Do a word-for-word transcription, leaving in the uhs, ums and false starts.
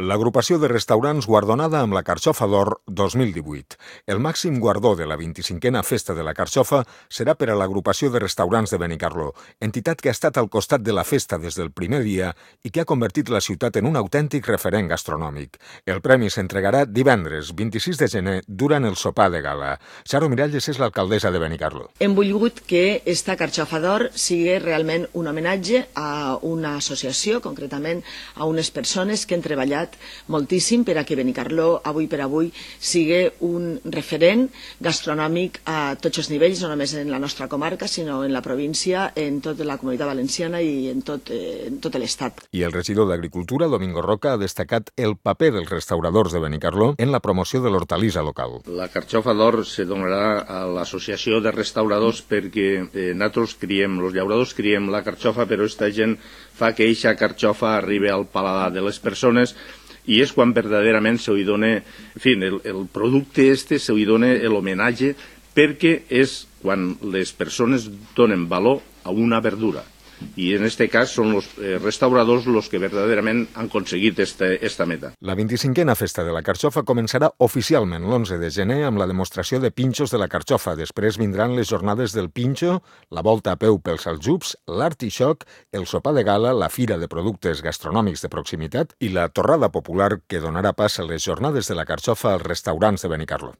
L'agrupació de restaurants guardonada amb la Carxofa d'Or dos mil divuit. El màxim guardó de la vint-i-cinquena Festa de la Carxofa serà per a l'agrupació de restaurants de Benicarló, entitat que ha estat al costat de la festa des del primer dia i que ha convertit la ciutat en un autèntic referent gastronòmic. El premi s'entregarà divendres vint-i-sis de gener durant el sopar de gala. Charo Miralles és l'alcaldessa de Benicarló. Hem volgut que esta Carxofa d'Or sigui realment un homenatge a una associació, concretament a unes persones que han treballat moltíssim per a que Benicarló, avui per avui, sigui un referent gastronòmic a tots els nivells, no només en la nostra comarca, sinó en la província, en tota la Comunitat Valenciana i en tot, eh, en tot l'Estat. I el regidor d'Agricultura, Domingo Roca, ha destacat el paper dels restauradors de Benicarló en la promoció de l'hortalissa local. La Carxofa d'Or se donarà a l'Associació de Restauradors perquè eh, nosaltres criem, els llauradors criem la carxofa, però aquesta gent fa que eixa carxofa arribi al paladar de les persones i és quan verdaderament se li dona, en fi, el, el producte este se li dona l'homenatge perquè és quan les persones donen valor a una verdura. I en este cas són els eh, restauradors els que verdaderament han aconseguit esta, esta meta. La vint-i-cinquena Festa de la Carxofa començarà oficialment l'onze de gener amb la demostració de pinxos de la carxofa. Després vindran les jornades del pinxo, la volta a peu pels aljubs, l'artixoc, el sopar de gala, la fira de productes gastronòmics de proximitat i la torrada popular que donarà pas a les jornades de la carxofa als restaurants de Benicarló.